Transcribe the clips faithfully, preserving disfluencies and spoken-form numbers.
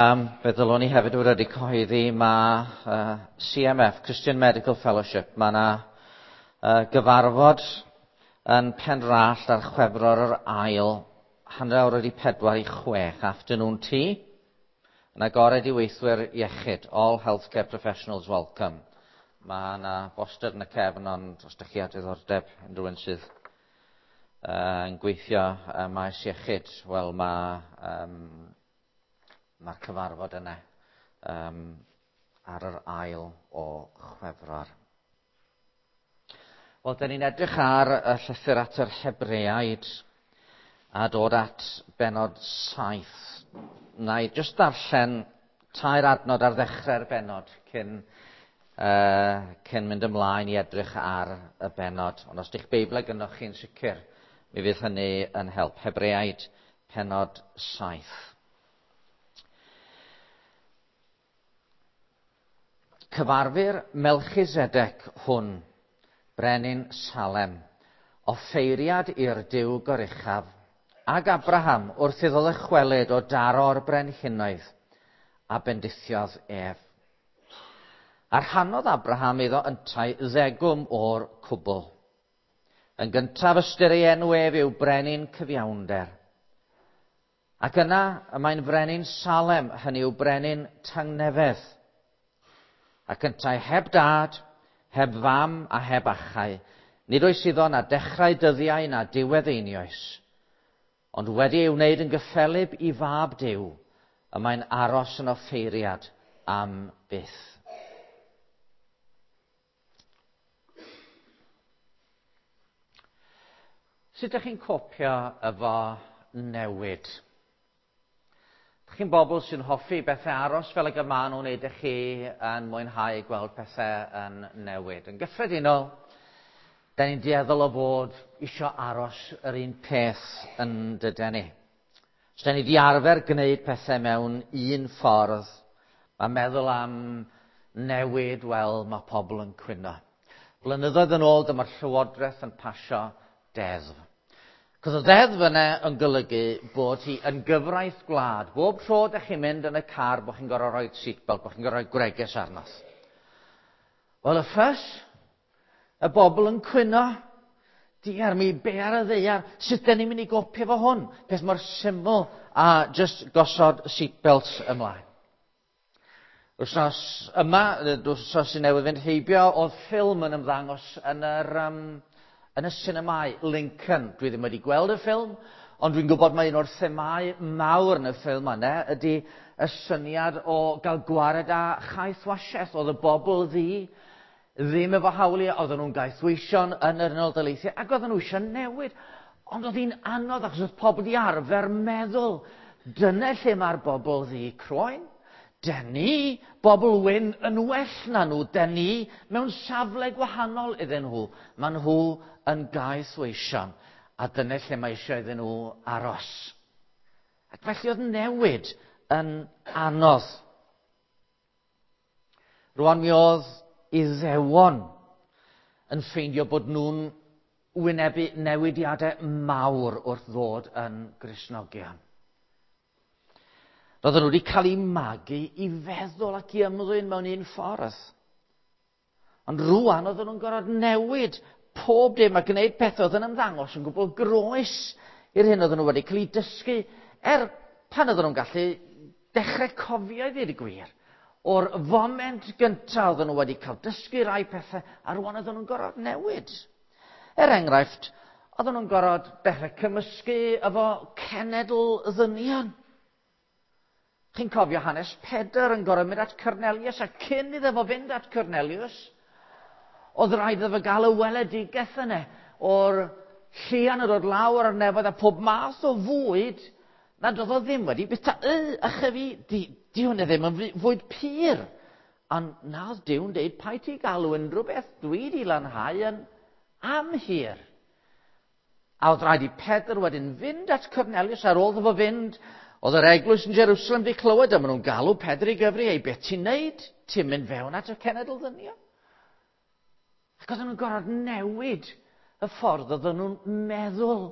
Um, fe ddylwn ni hefyd wedi cyhoeddi mae uh, C M F, Christian Medical Fellowship, mae yna uh, gyfarfod yn Penrallt ar Chwefror yr ail, hanner awr wedi pedwar i chwech, afternoon tea, yn agored i weithwyr iechyd, all healthcare professionals welcome. Mae yna boster yn y cefn, ond os ydych chi â diddordeb unrhyw un sydd uh, yn gweithio uh, maes iechyd, wel mae... Um, Mae'r cyfarfod yna um, ar yr ail o Chwefror. Wel, dyn ni'n edrych ar y llythyr at yr Hebreaid a dod at bennod saith. Na i jyst darllen tair adnod ar ddechrau'r bennod cyn, uh, cyn mynd ymlaen i edrych ar y bennod. Ond os ydych Beibl gynnoch chi'n sicr, mi fydd hynny yn help. Hebreaid, pennod saith. Cyfarfu'r Melchisedec hwn, brenin Salem, offeiriad i'r Duw goruchaf, ag Abraham wrth iddo ddychwelyd o daro'r brenhinoedd, a bendithiodd ef. A rhannodd Abraham iddo yntau ddegwm o'r cwbl. Yn gyntaf ystyr ei enw ef yw brenin cyfiawnder. Ac yna y mae'n frenin Salem, hynny yw brenin tangnefedd. Ac yntau heb dad, heb fam a heb achau, nid oes iddo na dechrau dyddiau na diwedd einioes. Ond wedi ei wneud yn gyffelyb i fab Duw, y mae'n aros yn offeiriad am byth. Sut ydych chi'n copio efo newid? Chi'n bobl sy'n hoffi bethau aros fel y maen nhw'n wneud i chi yn mwynhau gweld pethau yn newid. Yn gyffredinol, da ni'n dueddol o fod isio aros yr un peth yn dyden ni. Os da ni di arfer gwneud pethau mewn un ffordd, mae meddwl am newid, wel, mae pobl yn cwyno. Blynyddoedd yn ôl, dyma'r Llywodraeth yn pasio deddf. Cos y ddeddf yna yn golygu bod hi yn gyfraith gwlad. Bob tro ydych chi'n mynd yn y car, bod chi'n gorfod rhoi seatbelt, bod chi'n gorfod rhoi gwregys arnoch. Wel, y ffys, y bobl yn cwyno, diar mi, be ar y ddaear, sut dyn ni'n mynd i gopio fo hwn? Peth mor syml a just gosod seatbelts ymlaen. Wrthnos yma, wrthnos sy'n newydd fynd heibio, oedd ffilm yn ymddangos yn yr... Um, Yn y sinemau, Lincoln. Dwi ddim wedi gweld y ffilm, ond dwi'n gwybod mai un o'r themau mawr yn y ffilm yna ydy y syniad o gael gwared â chaethwasiaeth. Oedd y bobl ddu ddim efo hawliau, oedden nhw'n gaethweision yn yr Unol Daleithiau, ac oedden nhw eisiau newid. Ond oedd hi'n anodd achos oedd pobl di arfer meddwl, dyna lle mae'r bobl ddu croen. Dyn ni, bobl wyn yn well na nhw, dyn ni mewn safle gwahanol iddyn nhw. Maen nhw yn gaethweision, a dyna lle mae eisiau iddyn nhw aros. Ac felly oedd newid yn anodd. Rwan mi oedd Iddewon yn ffeindio bod nhw'n wynebu newidiadau mawr wrth ddod yn Gristnogion. Roedden nhw wedi cael eu magu i feddwl ac i ymddwyn mewn un ffordd. Ond rwan oedden nhw'n gorfod newid pob dim a gwneud pethau oedd yn ymddangos yn gwbl groes i'r hyn oedden nhw wedi cael eu dysgu, er pan oedden nhw'n gallu dechrau cofio i ddweud y gwir. O'r foment gyntaf oedden nhw wedi cael dysgu rai pethau, a rwan oedden nhw'n gorfod newid. Er enghraifft, oedden nhw'n gorfod dechrau cymysgu efo cenedl ddynion. Chi'n cofio hanes Pedr yn gorfod mynd at Cornelius, a cyn iddo fo fynd at Cornelius, oedd rhaid iddo fo gael y weledigaeth yna o'r llian yn dod lawr ar nefoedd a pob math o fwyd nad oedd o ddim wedi bwyta. Y, ych fi, di, di hwnna ddim yn fwyd pur. Ond na oedd Duw'n deud, paid ti galw unrhyw beth dwi di lanhau yn amhur. A oedd rhaid i Pedr wedyn fynd at Cornelius ar ôl iddo fo fynd. Oedd yr eglwys yn Jerusalem wedi clywed, a maen nhw'n galw Pedr i gyfri, ei beth ti'n neud? Ti'n mynd fewn at y cenedl ddynion? Ac oedden nhw'n gorfod newid y ffordd oedden nhw'n meddwl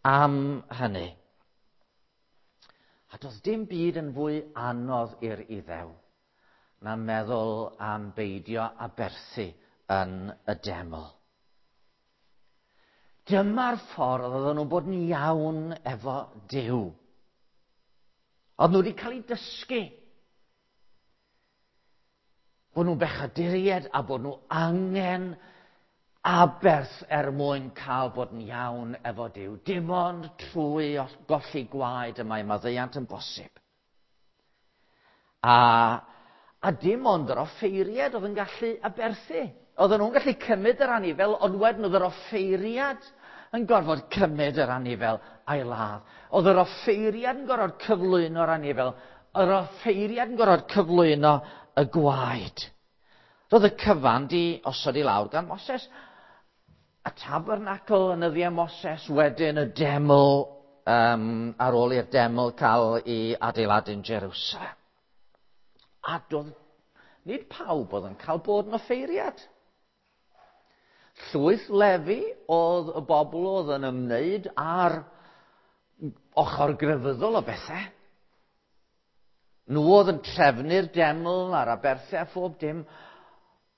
am hynny. A doedd dim byd yn fwy anodd i'r Iddew na meddwl am beidio aberthu yn y deml. Dyma'r ffordd oedden nhw'n bod yn iawn efo Duw. Oedd nhw wedi cael eu dysgu bod nhw'n bechaduriaid a bod nhw angen aberth er mwyn cael bod yn iawn efo Duw. Dim ond trwy golli gwaed y mae maddeuant yn bosib. A, a dim ond yr offeiriad oedd yn gallu aberthu. Oedden nhw'n gallu cymryd yr anifel, ond wedyn oedd yr offeiriad yn gorfod cymryd yr anifel a'i ladd. Oedd yr offeiriad yn gorfod cyflwyno'r anifel. Yr offeiriad yn gorfod cyflwyno y gwaed. Roedd y cyfan di osod i lawr gan Moses. Y tabernacl yn nyddiau Moses, wedyn y deml, um, ar ôl i'r deml cael ei adeiladu'n Jerusalem. A doedd nid pawb oedd yn cael bod yn offeiriad. Llwyth Lefi oedd y bobl oedd yn ymwneud â'r ochr grefyddol o bethau. Nhw oedd yn trefnu'r deml a'r aberthau a phob dim,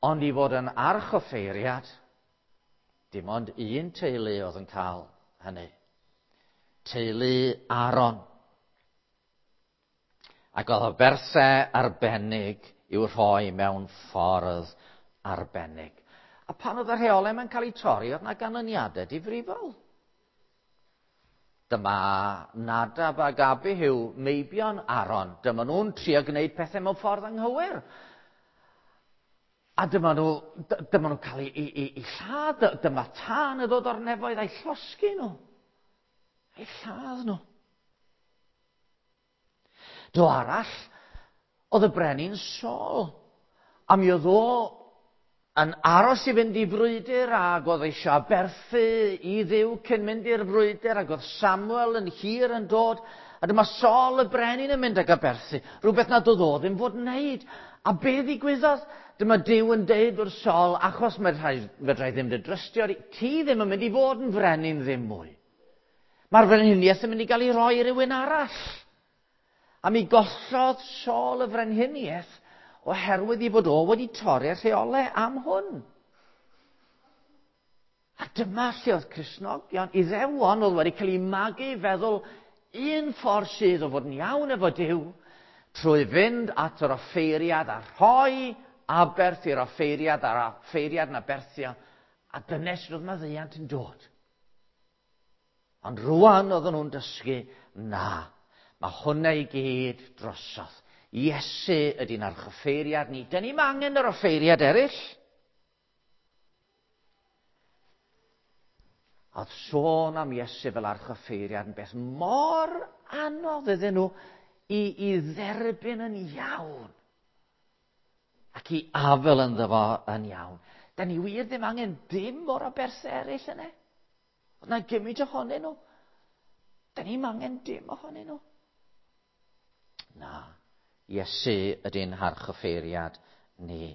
ond i fod yn archoffeiriad, dim ond un teulu oedd yn cael hynny. Teulu Aaron. Ac oedd aberthau arbennig i'w rhoi mewn ffordd arbennig. A pan oedd y rheolau mae'n cael eu torri, oedd yna ganlyniadau difrifol. Dyma Nadab ac Abihu, meibion Aaron. Dyma nhw'n trio gwneud pethau mewn ffordd anghywir. A dyma nhw, dyma nhw'n cael eu, eu, eu, eu lladd. Dyma tân yn dod o'r nefoedd a'i llosgi nhw. A'i lladd nhw. Dro arall, oedd y brenin Saul. A mi oedd o yn aros i fynd i frwydr ac oedd eisiau aberthu i Dduw cyn mynd i'r frwydr ac oedd Samuel yn hir yn dod. A dyma Saul y brenin yn mynd ag aberthu. Rhywbeth nad oedd o ddim fod yn wneud. A be ddigwyddodd? Dyma Duw yn deud wrth Saul, achos fedra i ddim dy drystio, ti ddim yn mynd i fod yn frenin ddim mwy. Mae'r frenhiniaeth yn mynd i gael ei roi i rywun arall. A mi gollodd Saul y frenhiniaeth oherwydd i fod o wedi torri'r rheolau am hwn. A dyma lle oedd Cristnogion, Iddewon oedd wedi cael eu magu i feddwl un ffordd sydd o fod yn iawn efo Duw, trwy fynd at yr offeiriad a rhoi aberth i'r offeiriad a'r offeiriad yn aberthio, a dyna sut oedd maddeuant yn dod. Ond rwan oedden nhw'n dysgu, na, mae hwnna i gyd drosodd. Iesu ydy'n archoffeiriad ni. Dyn ni'm angen yr offeiriad eraill. Oedd sôn am Iesu fel archoffeiriad yn beth mor anodd iddyn nhw i, i dderbyn yn iawn ac i afel ynddo fo yn iawn. Dyn ni wir ddim angen dim o'r aberthau eraill yna. Oedd na gymaint ohonyn nhw. Dyn ni'm angen dim ohonyn nhw. Na. Iesu ydy'n harchoffeiriad ni.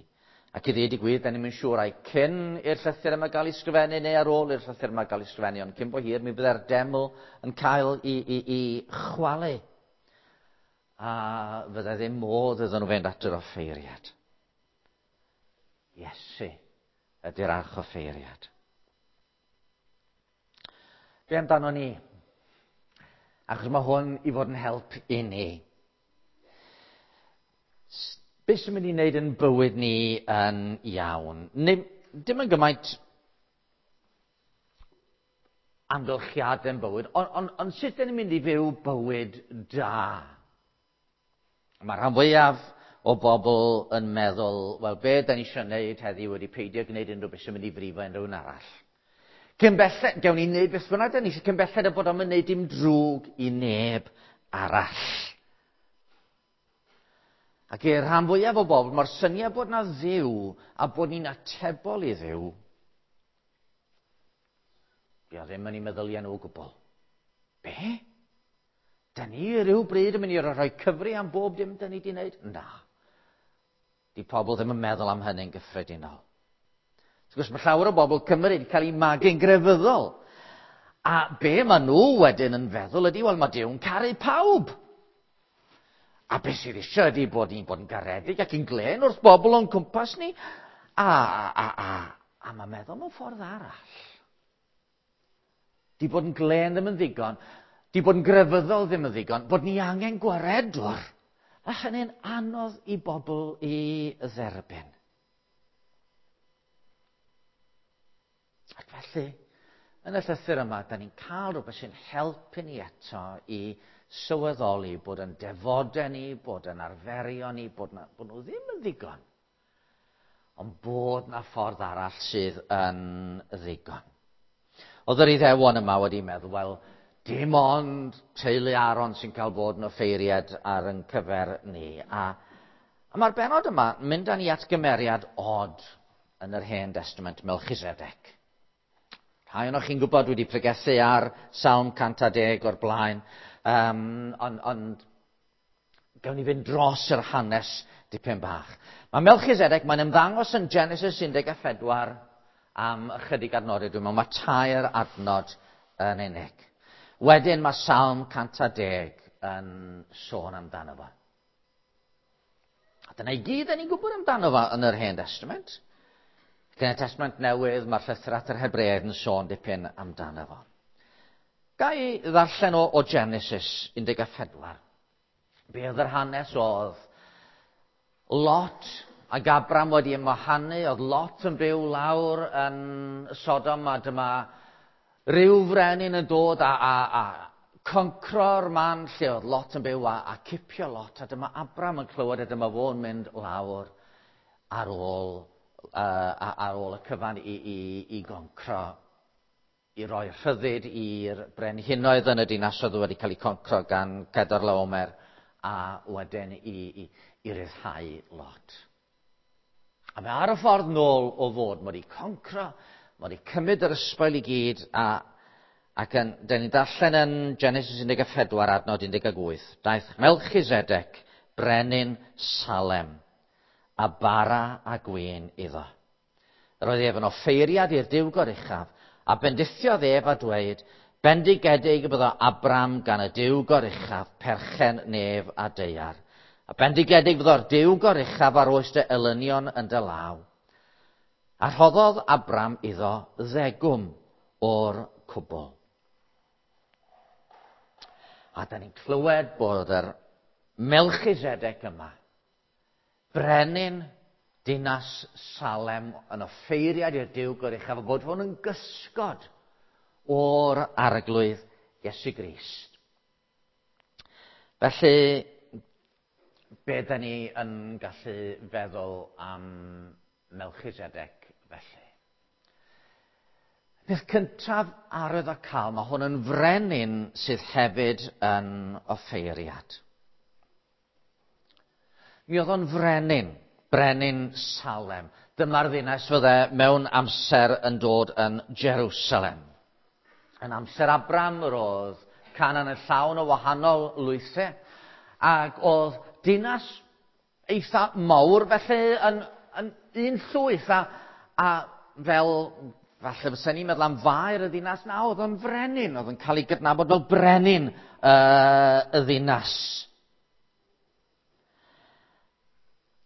Ac i ddweud y gwir, da ni'm yn siŵr ai cyn i'r llythyr yma gael ei sgrifennu neu ar ôl i'r llythyr yma gael ei sgrifennu, ond cyn bo hir mi bydde'r deml yn cael ei, ei, ei chwalu. A fydde ddim modd iddyn nhw fynd at yr offeiriad. Iesu ydy'r archoffeiriad. Be amdano ni? Achos mae hwn i fod yn help i ni. Be sy'n mynd i wneud yn bywyd ni yn iawn? Neu, dim yn gymaint amgylchiadau yn bywyd, ond on, on sut dyn ni'n mynd i fyw bywyd da? Mae rhan fwyaf o bobl yn meddwl, wel, be da ni eisiau wneud heddiw wedi peidio gwneud unrhyw beth sy'n mynd i frifo unrhyw un arall. Cyn belled, gewn ni wneud beth bynnag da ni eisiau, cyn belled y bod o'n wneud dim drwg i neb arall. Ac i'r rhan fwyaf o bobl, mae'r syniad bod na Dduw a bod ni'n atebol i Dduw, di o ddim yn ei meddyliau nhw o gwbl. Be? Da ni rhyw bryd yn mynd i rhoi cyfri am bob dim da ni wedi wneud? Na. Di pobl ddim yn meddwl am hynny'n gyffredinol. Wrth gwrs, mae llawer o bobl Cymru wedi cael eu magu'n grefyddol. A be maen nhw wedyn yn feddwl ydy, wel, mae Duw'n caru pawb. A beth sydd eisiau ydy bod ni'n bod yn garedig ac yn glên wrth bobl o'n cwmpas ni. A, a, a, a mae meddwl mewn ffordd arall. Di bod yn glên ddim yn ddigon, di bod yn grefyddol ddim yn ddigon, bod ni angen gwaredwr. A hynny'n anodd i bobl i dderbyn. Ac felly, yn y llythyr yma, da ni'n cael rhywbeth sy'n helpu ni eto i sylweddoli bod yn defodau ni, bod yn arferion ni, bod, na, bod nhw ddim yn ddigon. Ond bod na ffordd arall sydd yn ddigon. Oedd yr Iddewon yma wedi meddwl, wel, dim ond teulu Aaron sy'n cael bod yn offeiriad ar yn cyfer ni. A, a mae'r benod yma yn mynd â ni at gymeriad od yn yr Hen Testament, Melchizedek. Rhai ohonoch chi'n gwybod wedi pregethu ar Salm cant a deg o'r blaen, um, ond on, gawn ni fynd dros yr hanes dipyn bach. Mae Melchizedek, mae'n ymddangos yn Genesis un deg pedwar am ychydig adnodau, dwi'n meddwl, mae tair adnod yn unig. Wedyn mae Salm cant a deg yn sôn amdano fo. A dyna i gyd ni'n gwybod amdano fo yn yr Hen Testament. Ac yn y Testament Newydd, mae'r llythyr at yr Hebreaid yn sôn dipyn amdano fo. Ga i ddarllen o, o Genesis un deg pedwar. Be oedd yr hanes oedd Lot ac Abram wedi ymwahanu, oedd Lot yn byw lawr yn Sodom, a dyma rhyw frenin yn dod a, a, a concro'r man lle oedd Lot yn byw a, a cipio Lot, a dyma Abram yn clywed a dyma fo'n mynd lawr ar ôl, uh, ar ôl y cyfan i, i, i goncro, i roi rhyddid i'r brenhinoedd yn y dinasoedd wedi cael eu concro gan Cedorlaomer a wedyn i, i, i ryddhau Lot. A mae ar y ffordd nôl o fod, mae wedi concro, mae wedi cymryd yr ysbail i gyd, a, ac yn, dyn ni'n darllen yn Genesis un deg pedwar adnod un deg wyth, daeth Melchizedek, brenin Salem, a bara a gwin iddo. Yr oedd ef yn offeiriad i'r Duw Goruchaf, a bendithiodd ef a dweud, bendigedig y byddo Abram gan y Duw Goruchaf, perchen nef a daear. A bendigedig fyddo'r Duw Goruchaf ar oes dy elynion yn dy law. A rhoddodd Abram iddo ddegwm o'r cwbl. A da ni'n clywed bod yr Melchizedek yma, brenin dinas Salem, yn offeiriad i'r Duw Goruchaf, a bod hwn yn gysgod o'r Arglwydd Iesu Grist. Felly, be da ni yn gallu feddwl am Melchizedek felly? Peth cyntaf arwyddocaol, mae hwn yn frenin sydd hefyd yn offeiriad. Mi oedd o'n frenin, brenin Salem. Dyma'r ddinas fydde mewn amser yn dod yn Jerusalem. Yn amser Abram yr oedd Canaan yn llawn o wahanol lwythau, ac oedd dinas eitha mawr felly yn, yn un llwyth, a, a fel falle fysa ni'n meddwl am faer y ddinas na, oedd o'n frenin, oedd yn cael ei gydnabod fel brenin uh, y ddinas.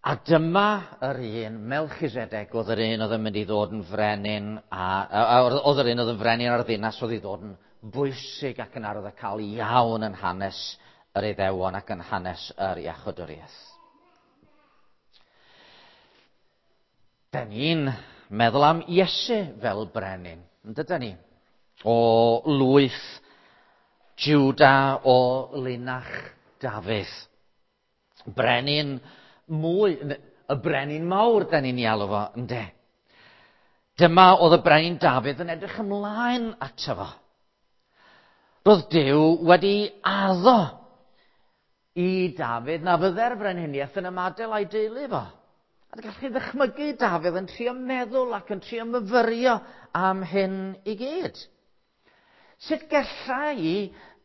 A dyma yr un, Melchizedek, oedd yr un oedd yn mynd i ddod yn frenin, a, a, a oedd yr un oedd yn frenin ar y ddinas oedd i ddod yn bwysig ac yn arwyddocaol iawn yn hanes yr Iddewon ac yn hanes yr iachawdwriaeth. Da ni'n meddwl am Iesu fel brenin, yn dydyn ni? O lwyth Juda, o linach Dafydd. Brenin mwy, y brenin mawr da ni'n ei alw fo, ynde? Dyma oedd y brenin Dafydd yn edrych ymlaen ato fo. Roedd Duw wedi addo i Dafydd na fydde'r frenhiniaeth yn ymadael â'i deulu fo. A gallwch chi ddychmygu Dafydd yn trio meddwl ac yn trio myfyrio am hyn i gyd. Sut galla i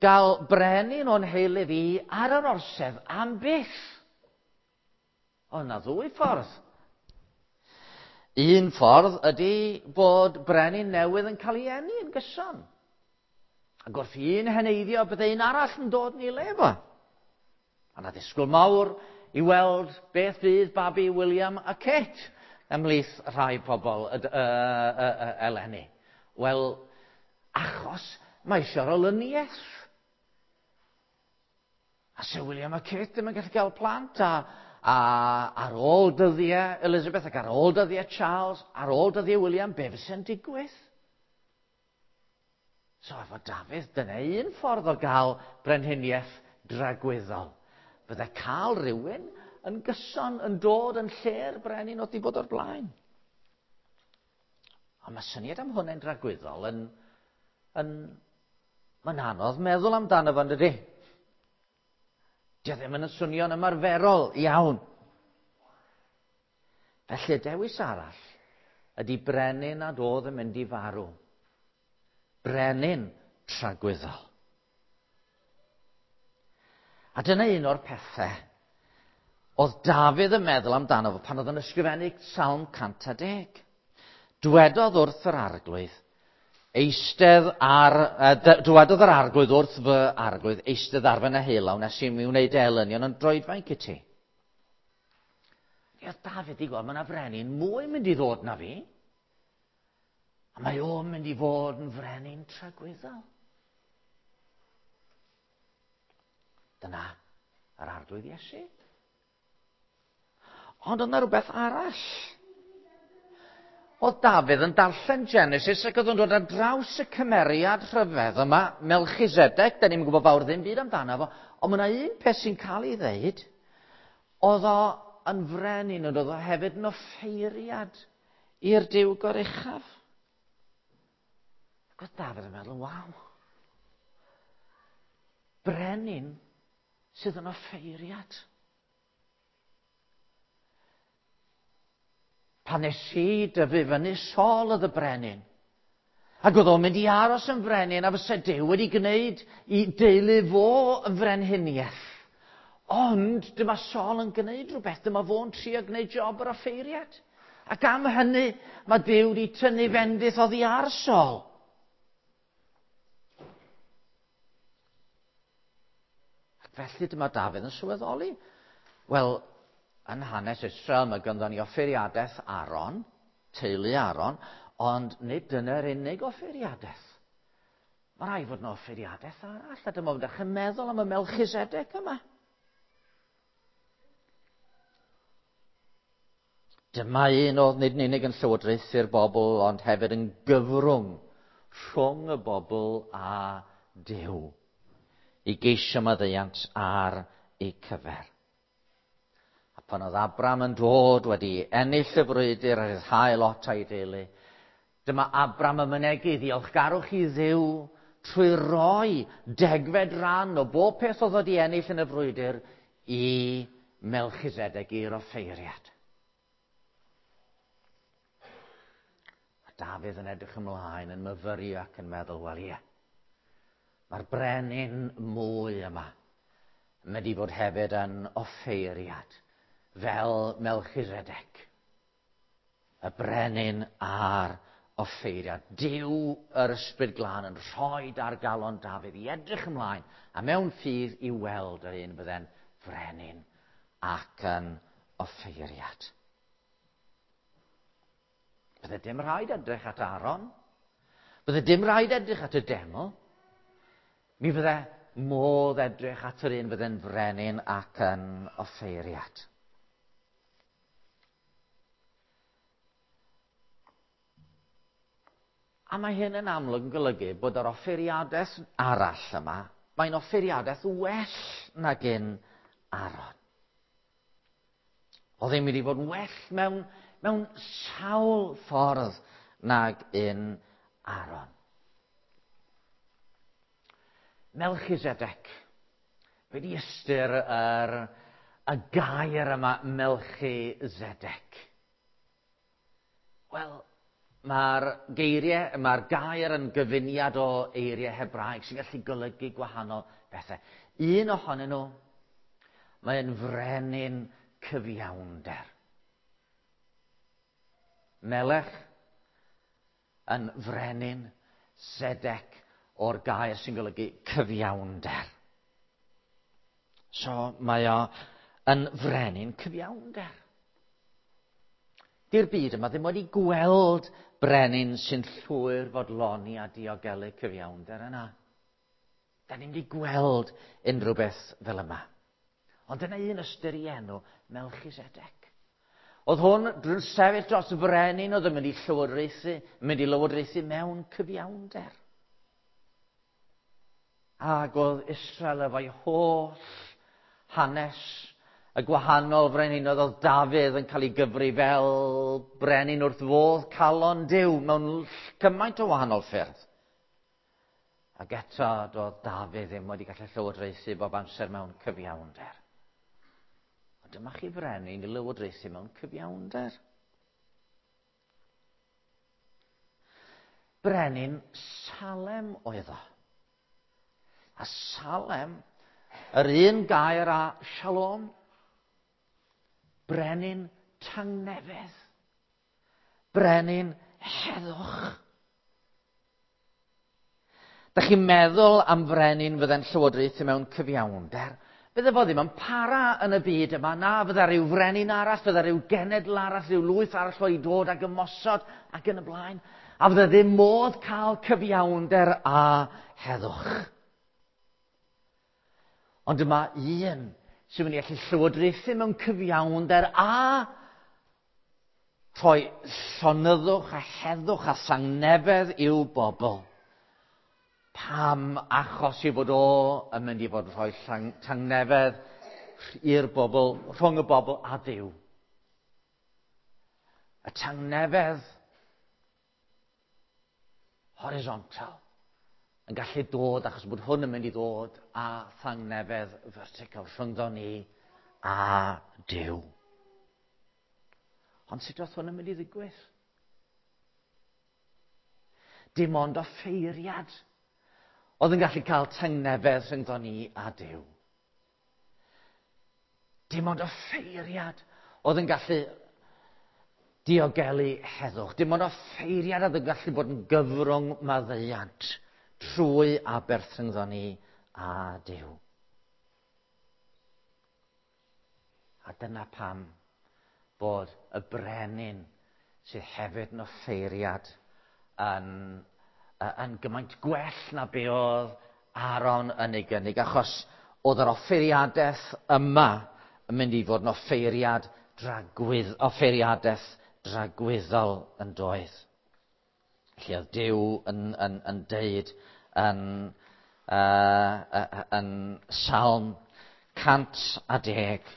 gael brenin o'n heulu fi ar yr orsedd am byth? O, na ddwy ffordd. Un ffordd ydy bod brenin newydd yn cael ei eni yn gyson. Ac wrth un heneiddio, bydde un arall yn dod yn ei le fo. A na ddisgwyl mawr i weld beth fydd babi William a Kate ymhlith rhai pobl y, y, y, y, eleni. Wel, achos mae eisiau'r olyniaeth. A Sir William a Kate ddim yn gallu cael plant, a, a ar ôl dyddiau Elizabeth ac ar ôl dyddiau Charles, ar ôl dyddiau William, be fysa'n digwydd? So efo Dafydd, dyna un ffordd o gael brenhiniaeth dragwyddol. Fydde cael rhywun yn gyson yn dod yn lle'r brenin oedd wedi bod o'r blaen. Ond mae syniad am hwnna'n dragwyddol yn, yn, mae'n anodd meddwl amdano fo, dydy? Dio ddim yn swnio'n ymarferol iawn. Felly y dewis arall ydy brenin nad oedd yn mynd i farw. Brenin tragwyddol. A dyna un o'r pethau oedd Dafydd yn meddwl amdano fo pan oedd yn ysgrifennu Salm cant a deg. Dwedodd wrth yr arglwydd, eistedd ar, dywedodd yr arglwydd wrth fy arglwydd, eistedd ar fy neheulaw nes i mi wneud elynion yn droedfainc i ti. Oedd Dafydd i gweld, mae yna frenin mwy mynd i ddod na fi. A mae o'n mynd i fod yn frenin tragwyddol. Dyna yr arglwydd Iesu. Ond oedd yna rhywbeth arall. Oedd Dafydd yn darllen Genesis ac oedd o'n dod ar draws y cymeriad rhyfedd yma, Melchizedek, da ni'n gwybod fawr ddim byd amdano fo, ond mae yna un peth sy'n cael ei ddeud, oedd o yn frenin, ond oedd o hefyd yn offeiriad i'r Duw Goruchaf. Ac oedd Dafydd yn meddwl, waw, brenin sydd yn offeiriad. Pan nes i dyfu fyny, Saul oedd y brenin. Ac oedd o'n mynd i aros yn frenin, a fysa Duw wedi gwneud i deulu fo yn frenhiniaeth. Ond dyma Saul yn gwneud rhywbeth, dyma fo'n trio gwneud job yr offeiriad. Ac am hynny, mae Duw wedi tynnu fendith oddi ar Saul. Ac felly dyma Dafydd yn sylweddoli. Wel, yn hanes Israel, mae ganddo ni offeiriadaeth Aaron, teulu Aaron, ond nid dyna'r unig offeiriadaeth. Mae rhaid fod yna offeiriadaeth arall, a dyma fod chi'n meddwl am y Melchizedek yma. Dyma un oedd nid yn unig yn llywodraethu'r bobl, ond hefyd yn gyfrwng rhwng y bobl a Duw i geisio maddeuant ar eu cyfer. Pan oedd Abram yn dod wedi ennill y frwydr a rhyddhau Lot a'i deulu, dyma Abram yn mynegi ddiolchgarwch i Dduw trwy roi degfed ran o bob peth oedd wedi ennill yn y frwydr i Melchizedek, i'r offeiriad. A Dafydd yn edrych ymlaen, yn myfyrio ac yn meddwl, wel ie, mae'r brenin mwy yma yn mynd i fod hefyd yn offeiriad, fel Melchizedek, y brenin a'r offeiriad. Duw yr Ysbryd Glân yn rhoi ar galon Dafydd i edrych ymlaen a mewn ffydd i weld yr un fydde'n frenin ac yn offeiriad. Bydde dim rhaid edrych at Aaron. Bydde dim rhaid edrych at y deml. Mi fydde modd edrych at yr un fydde'n frenin ac yn offeiriad. A mae hyn yn amlwg yn golygu bod yr offeiriadaeth arall yma, mae'n offeiriadaeth well nag un Aaron. Oedd e'n mynd i fod yn well mewn, mewn sawl ffordd nag un Aaron. Melchizedek. Be di ystyr yr, y gair yma, Melchizedek? Wel, mae'r geiriau, mae'r gair yn gyfuniad o eiriau Hebraeg sy'n gallu golygu gwahanol bethau. Un ohonyn nhw, mae'n frenin cyfiawnder. Melech yn frenin, Zedek o'r gair sy'n golygu cyfiawnder. So mae o yn frenin cyfiawnder. Di'r byd yma ddim wedi gweld brenin sy'n llwyr fodloni a diogelu cyfiawnder yna. Da ni'n wedi gweld unrhyw beth fel yma. Ond dyna un ystyr i enw Melchisedec. Oedd hwn drwy'n sefyll dros frenin oedd yn mynd i llywodraethu, yn mynd i lywodraethu mewn cyfiawnder. Ac oedd Israel efo'i holl hanes y gwahanol frenhinoedd, oedd Dafydd yn cael ei gyfri fel brenin wrth fodd calon Duw mewn cymaint o wahanol ffyrdd. Ac eto, doedd Dafydd ddim wedi gallu llywodraethu bob amser mewn cyfiawnder. Ond dyma chi frenin i lywodraethu mewn cyfiawnder. Brenin Salem oedd o. A Salem, yr un gair â Shalom, brenin tangnefedd, brenin heddwch. Da chi'n meddwl am frenin fydde'n llywodraethu mewn cyfiawnder? Bydde fo ddim yn para yn y byd yma, na, fydde rhyw frenin arall, fydde rhyw genedl arall, rhyw lwyth arall wedi dod ag ymosod ac yn y blaen. A fydde ddim modd cael cyfiawnder a heddwch. Ond dyma un sy'n mynd i allu llywodraethu mewn cyfiawnder a rhoi llonyddwch a heddwch a sangnefedd i'w bobl. Pam? Achos i fod o yn mynd i fod yn rhoi tangnefedd i'r bobl, rhwng y bobl a Duw. Y tangnefedd horizontal yn gallu dod, achos bod hwn yn mynd i ddod â thangnefedd vertical rhyngddo ni a Duw. Ond sut oedd hwn yn mynd i ddigwydd? Dim ond offeiriad oedd yn gallu cael tangnefedd rhyngddo ni a Duw. Dim ond offeiriad oedd yn gallu diogelu heddwch. Dim ond offeiriad oedd yn gallu bod yn gyfrwng maddeuant trwy aberth rhyngddo ni a Duw. A dyna pam bod y brenin sydd hefyd yn offeiriad yn, yn gymaint gwell na be oedd Aaron yn ei gynnig, achos oedd yr offeiriadaeth yma yn mynd i fod yn offeiriad dragwydd, offeiriadaeth dragwyddol yn doedd. Lle oedd Duw yn, yn, yn deud yn, uh, yn Salm cant a deg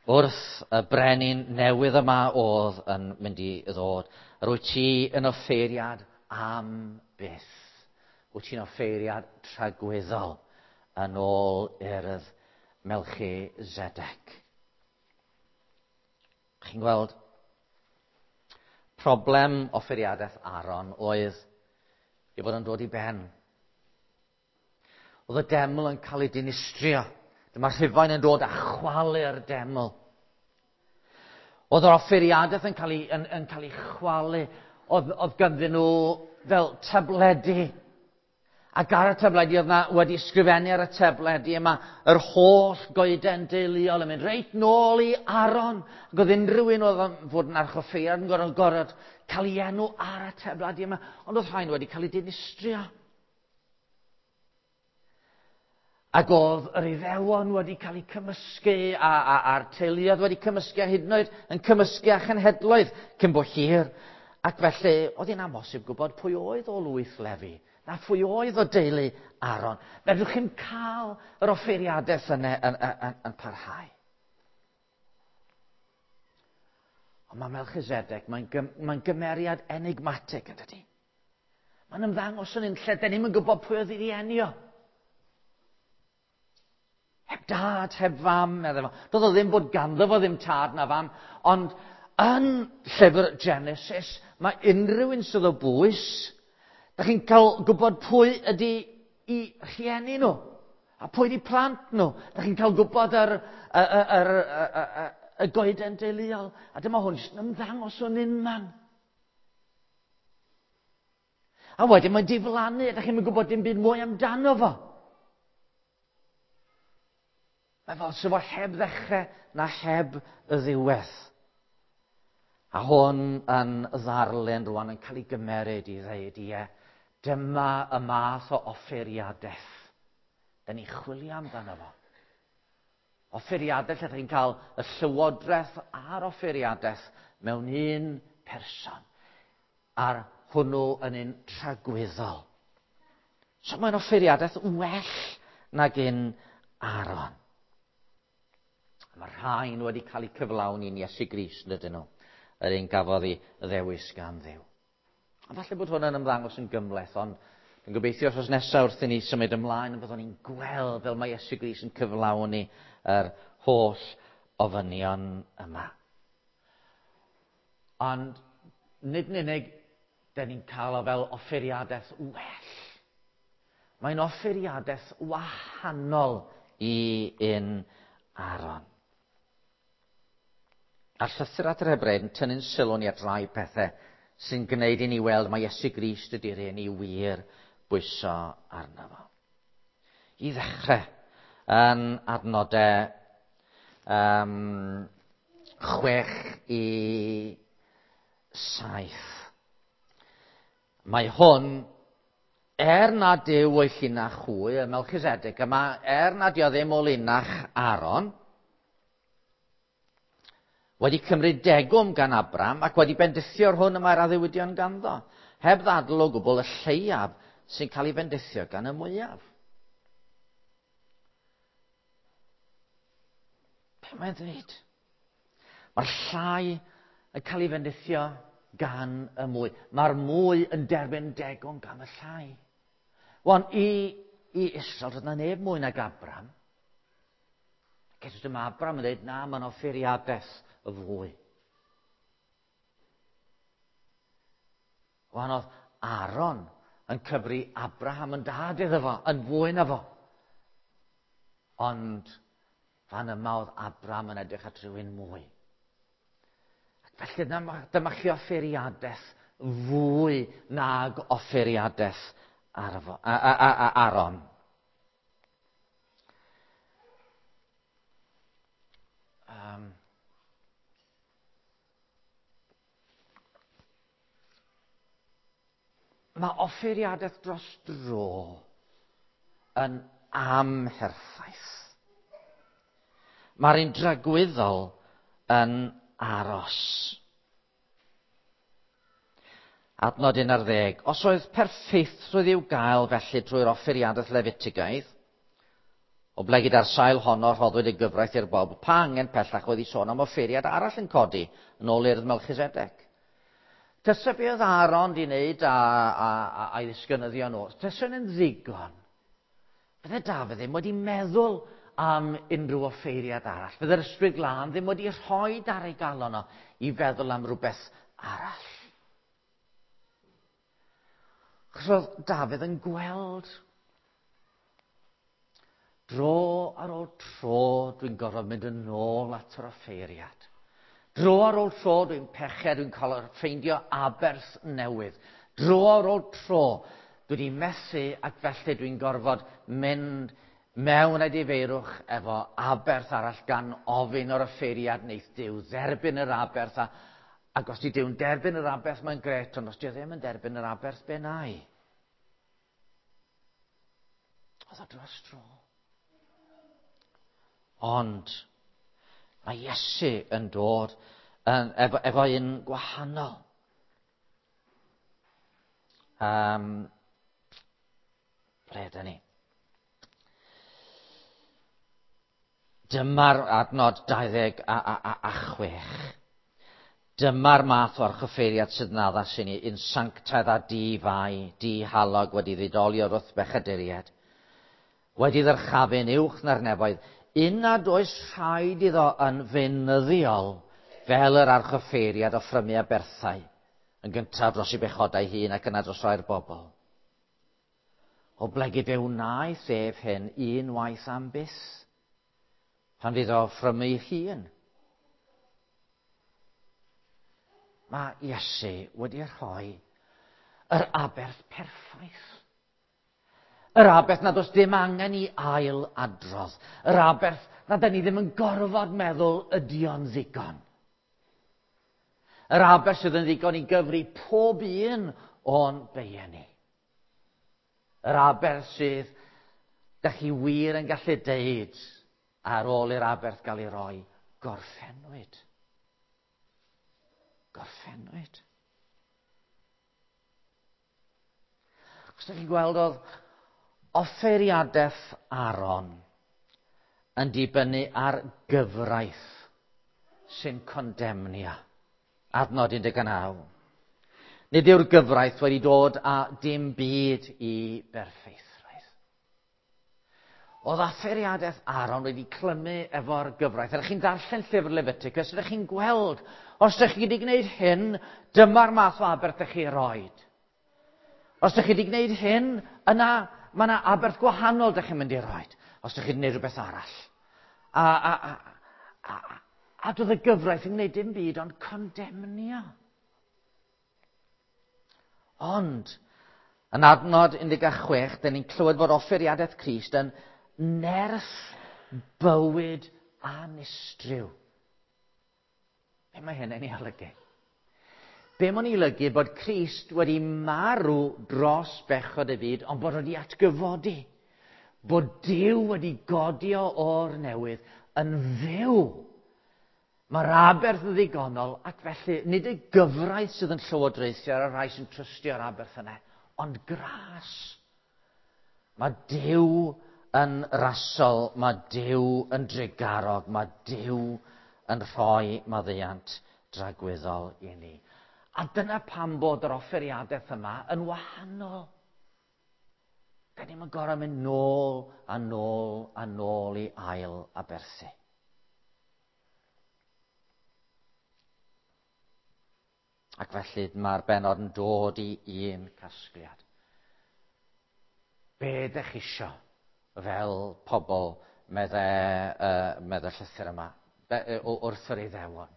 wrth y brenin newydd yma oedd yn mynd i ddod. Yr wyt ti yn offeiriad am byth. Wyt ti'n offeiriad tragwyddol yn ôl urdd Melchisedec. Chi'n gweld, problem offeiriadaeth Aaron oedd ei fod yn dod i ben. Oedd y deml yn cael ei dinistrio. Dyma'r Rhufain yn dod a chwalu'r deml. Oedd yr offeiriadaeth yn cael ei, yn, yn cael ei chwalu. Oedd, oedd ganddyn nhw fel tabledi. Ac ar y tabledi oedd na wedi sgrifennu ar y tabledi yma yr holl goeden deuluol yn mynd reit nôl i Aaron. Ac oedd unrhyw un oedd yn fod yn archoffeiriad yn gorfod gorfod cael ei enw ar y tabledi yma. Ond oedd rhain wedi cael ei dinistrio. Ac oedd yr Iddewon wedi cael eu cymysgu a, a, a'r teuluoedd wedi cymysgu a hyd yn oed yn cymysgu â chenhedloedd cyn bo hir. Ac felly oedd hi'n amhosib gwybod pwy oedd o lwyth Lefi, na phwy oedd o deulu Aaron. Fedrwch chi'n cael yr offeiriadaeth yna yn, yn, yn, yn parhau. Ond mae Melchisedec, mae'n gym, mae gymeriad enigmatig yn dydi. Mae'n ymddangos yn un lle, da ni'm yn gwybod pwy oedd ei rieni o. Heb dad, heb fam, meddai fo. Doedd o ddim bod ganddo fo ddim tad na fam, ond yn llyfr Genesis, mae unrhyw un sydd o bwys, da chi'n cael gwybod pwy ydy i rhieni nhw, a pwy ydy plant nhw. Da chi'n cael gwybod yr, yr, yr, yr, yr, y goeden deuluol, a dyma hwn jyst yn ymddangos o'n unman. A wedyn mae'n diflannu, da chi'n gwybod dim byd mwy amdano fo. Mae fel sy'n fo heb ddechrau na heb y ddiwedd. A hwn yn ddarlun rwan yn cael ei gymeryd i ddeud, ie, dyma y math o offeiriadaeth. Da ni'n chwilio amdano fo. Offeiriadaeth lle chi'n cael y llywodraeth a'r offeiriadaeth mewn un person. A'r hwnnw yn un tragwyddol. So mae'n offeiriadaeth well nag un Aaron. Mae rhain wedi cael eu cyflawni yn Iesu Grist, ydyn nhw. Yr un gafodd ei ddewis gan Dduw. A falle bod hwn yn ymddangos yn gymhleth, ond dwi'n gobeithio wrth nesaf wrth i ni symud ymlaen, byddwn ni'n gweld fel mae Iesu Grist yn cyflawni yr holl ofynion yma. Ond nid yn unig, dyn ni'n cael o fel offeiriadaeth well. Mae'n offeiriadaeth wahanol i un Aaron. A'r llythyr at yr Hebreaid yn tynnu'n sylw ni at rai pethau sy'n gwneud i ni weld mae Iesu Grist ydy'r un i wir bwyso arno fo. I ddechrau, yn adnodau um, chwech i saith. Mae hwn, er nad yw o'i llinach hwy, y Melchisedec yma, er nad yw ddim o linach Aaron, wedi cymryd degwm gan Abram ac wedi bendithio'r hwn y mae'r addewidion ganddo, heb ddadl o gwbl y lleiaf sy'n cael ei bendithio gan y mwyaf. Be mae'n dweud? Mae'r llai yn cael ei bendithio gan y mwy. Mae'r mwy yn derbyn degwm gan y llai. Wan, i, i Israel, doedd na neb mwy nag Abram. Ac eto dyma Abram yn dweud, na, mae'n offeiriadaeth y fwy. Wan oedd Aaron yn cyfri Abraham yn dad iddo fo, yn fwy na fo. Ond fan yma oedd Abraham yn edrych at rhywun mwy. Ac felly dyma, dyma chi offeiriadaeth fwy nag offeiriadaeth Arfo, a, a, a, a, Aaron. Um, mae offeiriadaeth dros dro yn amherffaith. Mae'r un dragwyddol yn aros. Adnod un ar ddeg. Os oedd perffeithrwydd i'w gael felly drwy'r offeiriadaeth Lefitigaidd, oblegid ar sail honno rhoddwyd y gyfraith i'r bobl, pa angen pellach oedd i sôn am offeiriad arall yn codi yn ôl urdd Melchisedec. Tysa be oedd Aaron di wneud a, a, a, a'i ddisgynyddion nhw, tysa yn ddigon. Fydde Dafydd ddim wedi meddwl am unrhyw offeiriad arall. Fydde'r Ysbryd Glân ddim wedi rhoi ar ei galon o i feddwl am rhywbeth arall. Achos oedd Dafydd yn gweld dro ar ôl tro dwi'n gorfod mynd yn ôl at yr offeiriad. Dro ar ôl tro dwi'n pechu, dwi'n cael ffeindio aberth newydd. Dro ar ôl tro dwi wedi methu ac felly dwi'n gorfod mynd mewn edifeirwch efo aberth arall gan ofyn o'r offeiriad wneith Duw dderbyn yr aberth. A, ac os di Duw'n derbyn yr aberth mae'n gret, ond os di ddim yn derbyn yr aberth, be na i? Oedd o dros dro. Ond mae Iesu yn dod yn, efo, efo un gwahanol. Um, ble ydyn ni? Dyma'r adnod dau ddeg a, a, a, a chwech. Dyma'r math o archoffeiriad sydd yn addas i ni, un sanctaidd a di-fai, di-halog wedi ddidoli o'r wrth bechaduriaid, wedi ddyrchafu'n uwch na'r nefoedd, un nad oes rhaid iddo yn feunyddiol fel yr archoffeiriad o ffrymu aberthau, yn gyntaf dros ei bechodau hun ac yna dros rai'r bobl. Oblegid fe wnaeth ef hyn unwaith am byth, pan fydd o ffrymu ei hun. Mae Iesu wedi rhoi yr aberth perffaith. Yr aberth nad oes dim angen i ail adrodd. Yr aberth nad ydyn ni ddim yn gorfod meddwl ydy o'n ddigon. Yr aberth sydd yn ddigon i gyfri pob un o'n beiau ni. Yr aberth sydd, dach chi wir yn gallu deud ar ôl i'r aberth gael ei roi, gorffennwyd. Gorffennwyd. Os ydych chi'n gweld oedd offeiriadaeth Aaron yn dibynnu ar gyfraith sy'n condemnio. Adnod un deg naw. Nid yw'r gyfraith wedi dod â dim byd i berffeithrwydd. Oedd offeiriadaeth Aaron wedi clymu efo'r gyfraith. Ydych chi'n darllen llyfr Leviticus, ydych chi'n gweld, os ydych chi wedi gwneud hyn, dyma'r math o aberth ydych chi roed. Os ydych chi wedi gwneud hyn, yna mae yna aberth gwahanol ydych chi'n mynd i roed. Os ydych chi wedi gwneud rhywbeth arall. A, a, a, a, a doedd y gyfraith yn gwneud dim byd ond condemnio. Ond, yn adnod un deg chwech, dyn ni'n clywed fod offeiriadaeth Crist yn nerth bywyd anistryw. Be mae hyn yn ei olygu? Be mae'n ei olygu bod Crist wedi marw dros bechod y byd, ond bod wedi atgyfodi. Bod Duw wedi godi o o'r newydd yn fyw. Mae'r aberth yn ddigonol, ac felly nid y gyfraith sydd yn llywodraethu ar y rhai sy'n trystio'r aberth yna, ond gras. Mae Duw yn rasol, mae Duw yn drugarog, mae Duw yn rhoi maddeuant dragwyddol i ni. A dyna pam bod yr offeiriadaeth yma yn wahanol. Da ni'n gorfod mynd nôl a nôl a nôl i ail aberthu. Ac felly mae'r bennod yn dod i un casgliad. Be ydych chi isio fel pobl medde, uh, medde llythyr yma, be, wrth yr Iddewon?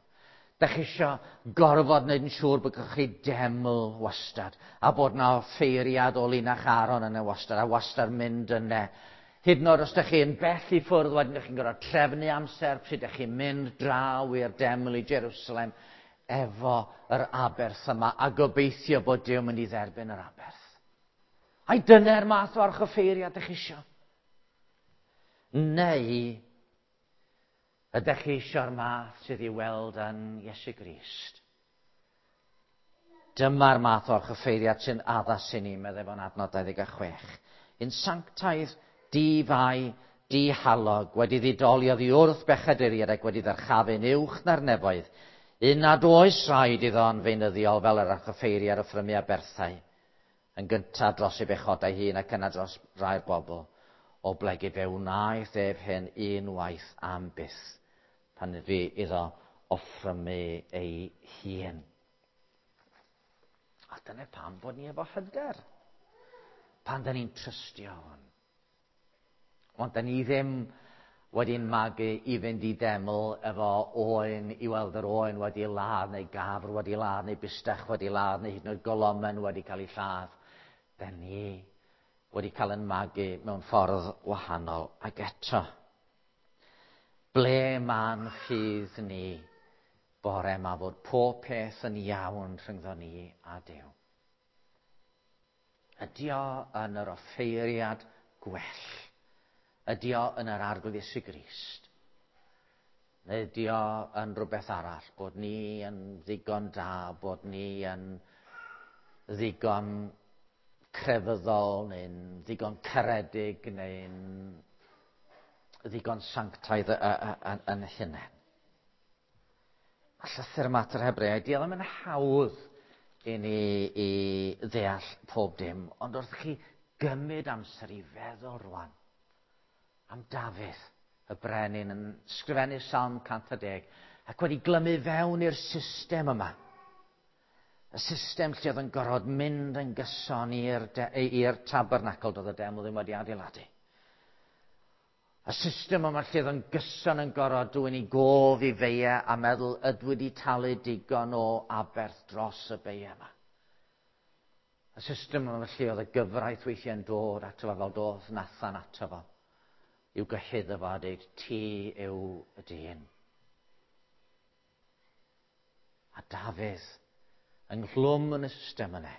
Dych chi isio gorfod wneud yn siŵr bod chi deml wastad, a bod na offeiriad o linach Aaron yna wastad, a wastad mynd yna. Hyd yn oed os ydych chi'n bell i ffwrdd, wedyn ydych chi'n gorfod trefnu amser pryd ydych chi'n mynd draw i'r deml i Jerusalem efo yr aberth yma, a gobeithio bod Duw mynd i dderbyn yr aberth. Ai dyna'r math o archoffeiriad ydych chi isio? Neu ydych chi eisiau'r math sydd i'w weld yn Iesu Grist? Dyma'r math o'r archoffeiriad sy'n addas i ni, meddai fo'n adnod dau ddeg chwech. Un sanctaidd, di-fai, dihalog, wedi ddidoli oddi wrth bechaduriaid ac wedi ddyrchafu'n uwch na'r nefoedd. Un nad oes rhaid iddo yn feunyddiol fel yr archoffeiriad offrymu aberthau, yn gyntaf dros ei bechodau hun ac yna dros rai'r bobl, o blegid fe wnaeth ef hyn unwaith am byth, pan fu iddo offrymu ei hun. A dyna pam bod ni efo hyder, pan da ni'n trystio hwn. Ond da ni ddim wedi'n magu i fynd i deml efo oen, i weld yr oen wedi ladd, neu gafr wedi ladd, neu bistach wedi ladd, neu hyd yn oed golomen wedi cael ei lladd. Da ni wedi cael yn magu mewn ffordd wahanol. Ac eto, ble ma'n ffydd ni bore yma fod pob peth yn iawn rhyngddo ni a Duw? Ydy o yn yr offeiriad gwell? Ydy o yn yr Arglwydd Iesu Grist? Neu ydy o yn rhywbeth arall? Bod ni yn ddigon da, bod ni yn ddigon crefyddol, neu'n ddigon caredig, neu'n ddigon sanctaidd yn hunain. A llythyr yma at yr Hebreaid, di o ddim yn hawdd i ni i ddeall pob dim, ond wrth chi gymryd amser i feddwl rwan am Dafydd, y brenin, yn sgrifennu Salm cant a deg, ac wedi glymu fewn i'r system yma. Y system lle oedd yn gorfod mynd yn gyson i'r i'r tabernacl, doedd y deml ddim wedi adeiladu. Y system yma lle oedd yn gyson yn gorfod dwyn i gof i feia a meddwl ydw wedi talu digon o aberth dros y beia yma. Y system yma felly oedd y gyfraith weithiau'n dod ato fo fel dodd Nathan ato fo. I'w gyhuddo fo a dweud, ti yw y dyn. A Dafydd, ynghlwm yn y system yna,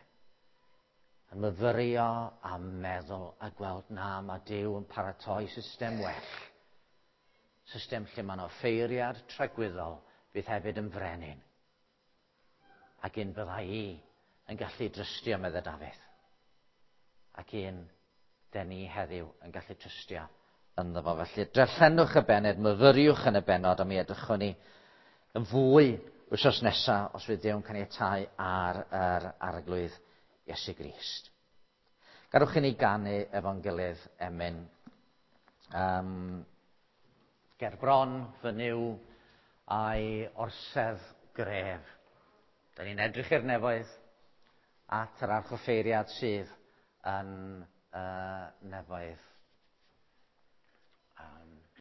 yn myfyrio a meddwl a gweld na, mae Duw yn paratoi system well. System lle mae'n offeiriad tragwyddol fydd hefyd yn frenin. Ac un bydda i yn gallu drystio, meddai Dafydd. Ac un den ni heddiw yn gallu trystio ynddo fo. Felly, darllenwch y bennod, myfyriwch yn y bennod, a mi edrychwn ni yn fwy wythnos nesaf, os fydd Duw'n caniatáu ar yr Arglwydd Iesu Grist. Gadwch i ni ganu efo'n gilydd emyn. Um, ger bron fy Nuw a'i orsedd gref. Da ni'n edrych i'r nefoedd at yr archoffeiriad sydd yn uh, nefoedd.